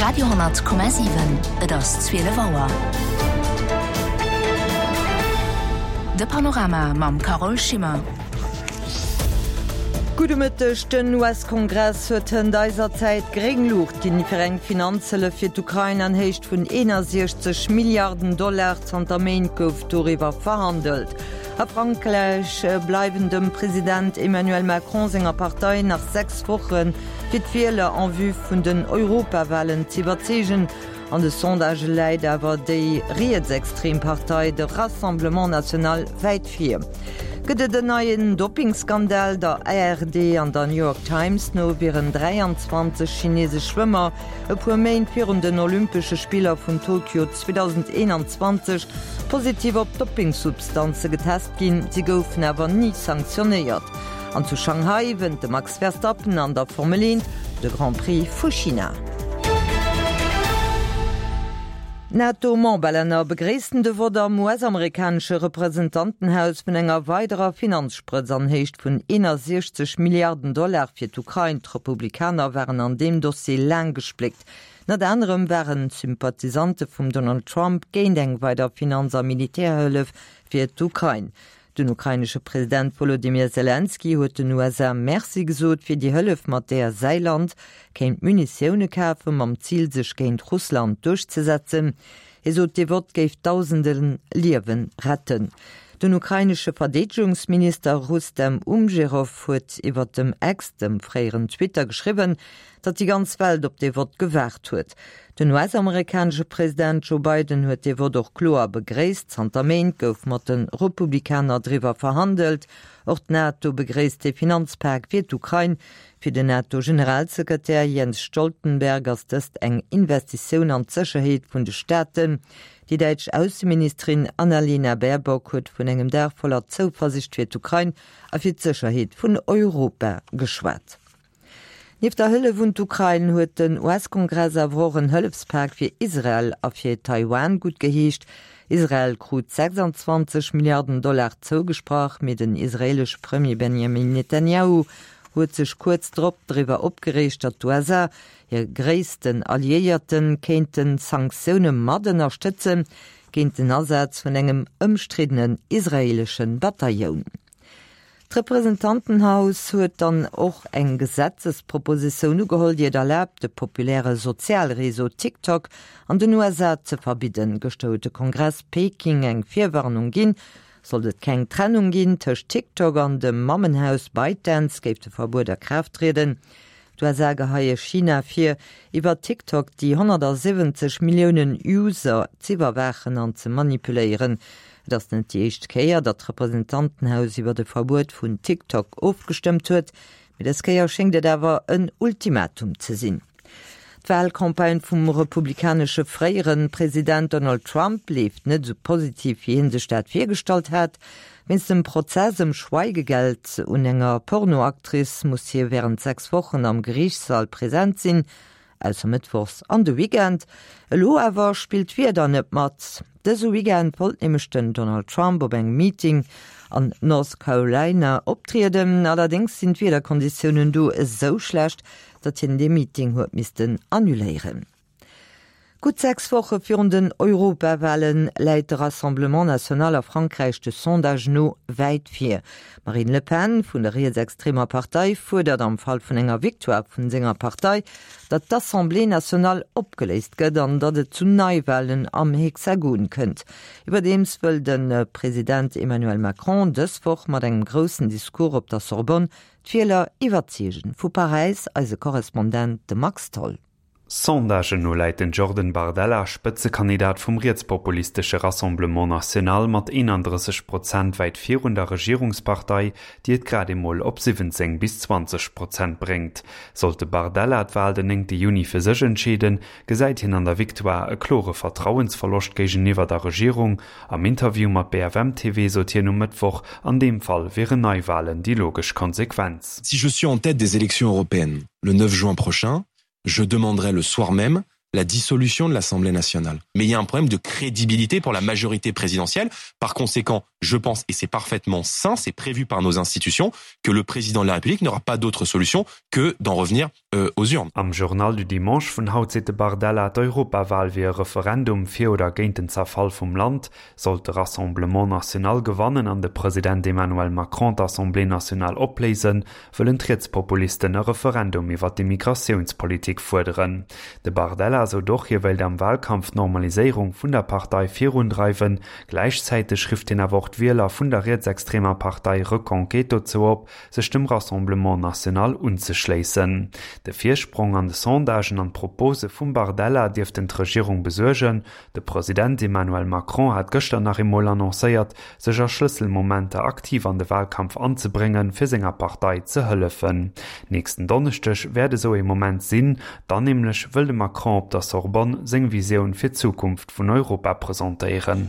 Radio,7 Et ass 12 Auer. De Panorama mam Carole Schimmer. Gudde Mëtteg, Den US-Kongress huet hënt eiser Zäit gréng Luucht ginn fir eng Finanzhëllef fir d'Ukrain an Héicht vun 61 Milliarden Dollar. Zanter Méint gouf doriwwer verhandelt. A Frankräich bleiwen dem President Emmanuel Macron senger Partei nach 6 Woche fir d'Wieler en vue vun den Europawalen z'iwwerzeegen. An de Sondagë läit awer déi rietsextrem Partei, de Rassemblement National, wäit vir. Gëtt et en neien Doppingskandal? Der ARD an der New York Times no wieren 23 chinesesch Schwëmmer e puer Méint virun den Olympesche Spiller vun Tokio 2021 positiv op Doppingsubstanze getest ginn. Si goufen awer ni sanktionéiert. An zu Shanghai wënnt de Max Verstappen an der Formel 1 de Grand Prix vu China. D'NATO-Memberlänner begréissten de Vott am US-amerikanesche Representantenhaus vun enger weiderer Finanzsprëtz an Héicht vun 61 Milliarden Dollar fir d'Ukrain. D'Republikaner waren an deem Dossier laang gespléckt. Ënnert anerem waren d'Sympathisante vum Donald Trump géint eng weider Finanz a Militärhëllef fir d'Ukrain. Den ukrainesche President Wolodymyr Selenskyj huet den USA Merci gesot fir déi Hëllef, mat där säi Land kéint Munitioune kafen, mam Zil sech géint Russland duerchzesetzen. Hie sot, dee Vott géif dausende Liewe retten. Den ukrainesche Verdeedegungsminister Rustem Umjerow huet iwwer dem X, dem fréieren Twitter, geschriwwen, datt déi ganz Welt op dee Vott gewaart huet. Den US-amerikanesche President Joe Biden huet dee Vott och kloer begréisst. Zanter Méint gouf mat de Republikaner driwwer verhandelt. Och d'NATO begréisst dee Finanzpak fir d'Ukrain. Fir den NATO-Generalsekretär Jens Stoltenberg ass dëst eng Investitioun an d'Sécherheet vun de Staaten. Déi däitsch Ausseministerin Annalena Baerbock huet vun engem Dag voller Zouversicht fir d'Ukrain a fir d'Sécherheet vun Europa geschwat. Nieft der Hëllef un d'Ukrain huet den US-Kongress awer och en Hëllefspak fir Israel a fir Taiwan guttgeheescht. Israel krut 26 Milliarden Dollar zougesprach, mee den israeelesche Premier Benjamin Netanjahu huet sech kuerz drop driwwer opgereegt, datt d'USA, hir gréissten Alliéierten, kéinte Sanktioune mat ënnerstëtzen géint den Asaz vun engem ëmstriddenen israeelesche Batailloun. D'Representantenhaus huet dann och eng Gesetzespropositioun ugeholl, déi et erlaabt, de populäre Sozialreseau TikTok an den USA ze verbidden. Gëschter huet de Kongress Peking eng Virwarnung ginn. Sollt et keng Trennung ginn tëscht TikTok an dem Mammenhaus ByteDance, géif de Verbuet a Kraaft trieden. D'USA geheie China vir, iwwer TikTok déi 170 Milliounen User z'iwwerwaachen an ze manipuléieren. Et ass net déi éischt Kéier, datt d'Representantenhaus iwwer e Verbuet vun TikTok ofgestëmmt huet, mee dës Kéier schéngt et awer en Ultimatum ze sinn. D'Walcampagne vum republikanesche fréiere President Donald Trump leeft net esou positiv, wéi hie sech dat virgestallt hat. Wéinst dem Prozess ëm Schweigegeld un enger Pornoactrice muss hie wärend 6 Wochen am Geriichtssall present sinn, ausser mëttwochs an de Weekend. Elo awer spillt d'Wieder net mat. Dëse Weekend wollt nämlech den Donald Trump op engem Meeting an North Carolina optrieden. Allerdéngs sinn d'Wiederkonditiounen do esou schlecht, datt hien dee Meeting huet missten annuléieren. Gutt 6 Woche virun den Europawale läit de Rassemblement National a Frankräich de Sondage no wäit vir. D'Marine Le Pen vun der rietsextremer Partei fuerdert am Fall vun enger Victoire vun senger Partei, datt d'Assemblée nationale opgeléist gëtt an datt et zu Neiwalen am Hexagon kënnt. Iwwerdeems wëll de President Emmanuel Macron dës Woch mat engem groussen Discours op der Sorbonne d'Wieler iwwerzeegen. Vu Paräis eise Korrespondent de Max Tholl. Sondagen no läit den Jordan Bardella, Spëtzekandidat vum rietspopulistesche Rassemblement National, mat 31 Prozent wäit virun der Regierungspartei, déi et grad emol op 17 bis 20 Prozent bréngt. Sollt de Bardella d'Wal den néngte Juni fir sech entscheeden, gesäit hien an der Victoire e klore Vertrauensverloscht géigeniwwer der Regierung. Am Interview mat BFM-TV sot hien um Mëttwoch, an deem Fall wieren Neiwalen déi logesch Konsequenz. Si je suis en tête des élections européennes le 9 juin prochain, je demanderai le soir même la dissolution de l'Assemblée nationale. Mais il y a un problème de crédibilité pour la majorité présidentielle. Par conséquent, Je pense, et c'est parfaitement sain, c'est prévu par nos institutions, que le président de la République n'aura pas d'autre solution que d'en revenir euh, aux urnes. Am Journal du Dimanche vun haut seet de Bardella, d'Europawahl wier e Referendum fir oder géint den Zerfall vum Land. Sollt de Rassemblement National gewannen an de President Emmanuel Macron d'Assemblée nationale opléisen, wëllen d'Rietspopulisten e Referendum iwwer d'Immigratiounspolitik fuerderen. De Bardella sot och, hie wéilt am Wahlkampf d'Normaliséierung vun der Partei virundreiwen. Gläichzäiteg rifft hien awer och d'Wieler vun der rietsextremer Partei Reconquête dozou op, sech dem Rassemblement National unzeschléissen. De Virsprong an de Sondagen an d'Propose vum Bardella dierften d'Regierung besuergen. De President Emmanuel Macron hat gëschter nach eemol annoncéiert, sech a Schlësselmomenter aktiv an de Wahlkampf anzebréngen, fir senger Partei ze hëllefen. Nächsten Donneschdeg wäert esou ee Moment sinn, dann nämlech wëll de Macron op der Sorbonne seng Visioun fir d'Zukunft vun Europa presentéieren.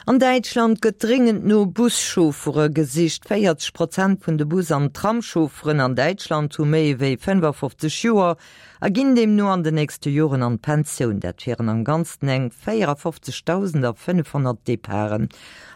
An Däitschland gëtt dréngend no Buschauffere gesicht. 40 Prozent vun de Bus an Tramschaufferen an Däitschland hu méi ewéi 55 Joer a ginn deemno an den nächste Joren an d'Pensioun. Dat wieren am Ganzen eng 54.500 Departen.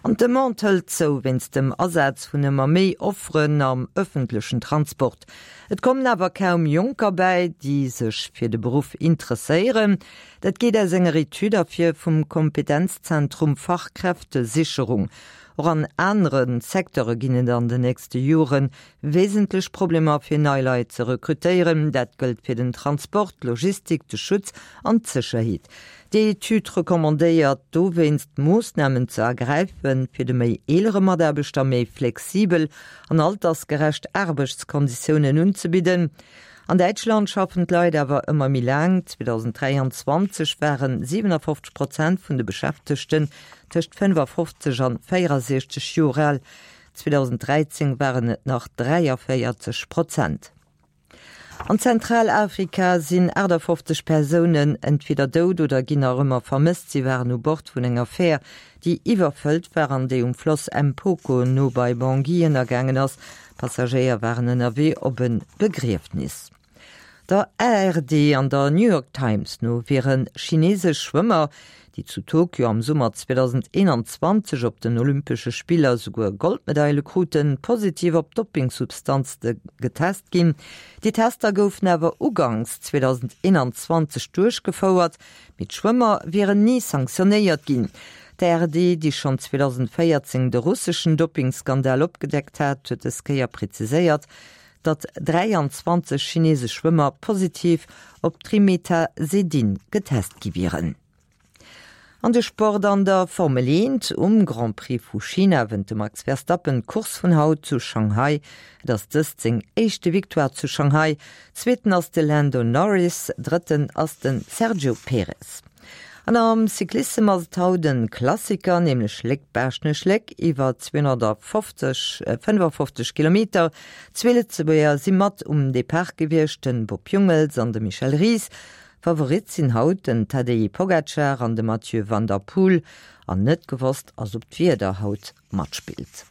An d'Demande hëlt zou wéinst dem Asaz vun ëmmer méi Offeren am ëffentlechen Transport. Et kommen awer kaum Jonker bäi, déi sech fir de Beruff interesséieren. Dat geet aus enger Etüd ervir vum Kompetenzzentrum Fachkräftesicherung. Och an anere Secteure ginn et an den nächste Jore wesentlech Problemer fir nei Leit ze rekrutéieren. Dat gëllt fir den Transport, d'Logistik, de Schutz an d'Sécherheet. Déi Etüd recommandéiert dowéinst, Moossnamen ze ergräifen, fir de méi eelere Mataarbechter méi flexibel an altersgerecht Aarbechtskonditiounen unzebidden. An Däitschland schaffen d'Leit awer ëmmer méi laang. 2023 ware 57 Prozent vun de Beschäftegten tëscht 55 an 64 Joer al, 2013 waren et nach 43 Prozent. An Zentralafrika sinn 58 Persounen entweder dout oder ginn nach ëmmer vermësst. Si waren u Bord vun enger Fär, déi iwwerfëllt war an déi um Floss Mpoko no bei Bangui ënnergaangen ass. Passagéier waren ënnerwee op e Begriefnis. Der ARD an der New York Times no wiere chinesesch Schwëmmer, déi zu Tokio am Summer 2021 op den Olympesche Spiller souguer Goldmedaile kruten, positiv op Doppingsubstanze getest ginn. Déi Tester goufen awer uganks 2021 duerchgefouert, Mee d'Schwëmmer wieren ni sanktionéiert ginn. D'ARD, déi schonn 2014 de russeschen Doppingskandal opgedeckt hat, huet dës Kéier preziséiert, datt 23 chinesesch Schwëmmer positiv op Trimetazidin getest gi wieren. An de Sport an der Formel 1, Um Grand Prix vu China wënnt de Max Verstappen d'Course vun haut zu Shanghai. Et ass dëst seng éischte Victoire zu Shanghai. Zweeten ass de Lando Norris, Drëtten ass de Sergio Perez. An am Cyclissem ass et haut en Klassiker, nämlech Léck-Baaschtnech-Léck iwwer 250, 55 Kilometer. Zwee Lëtzebuerger si mat um Depart gewiescht, den Bob Jungels an de Michel Ries. Favorit sinn haut den Tadej Pogacar an de Mathieu van der Poel. An net gewosst ass ob d'Wieder haut matspillt.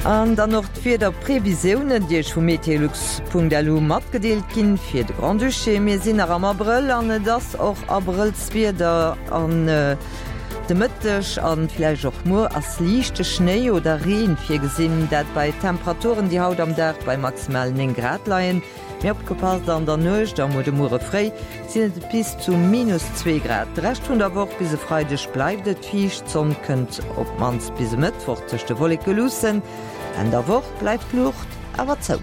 An dann och d'Wiederprevisiounen, déi Iech vu meteolux.lu matgedeelt ginn fir de Grand-Duché. Mir sinn nach am Abrëll an et ass och Abrëllswieder an de Mëtteg an villäicht och muer ass liichte Schnéi oder Reen virgesinn, dat bei Temperaturen, déi haut am Dag bei maximal 9 Grad leien. Mee opgepasst, an der Nuecht a muer de Muere fréi sinn et bis zu minus 2 Grad. De Rescht vun der Woch bis e Freideg bleift et fiicht, d'Sonn kënnt op d'mannst bis e Mëttwoch tëscht de Wolleke luussen. Enn der Woch bleift d'Luucht awer zou.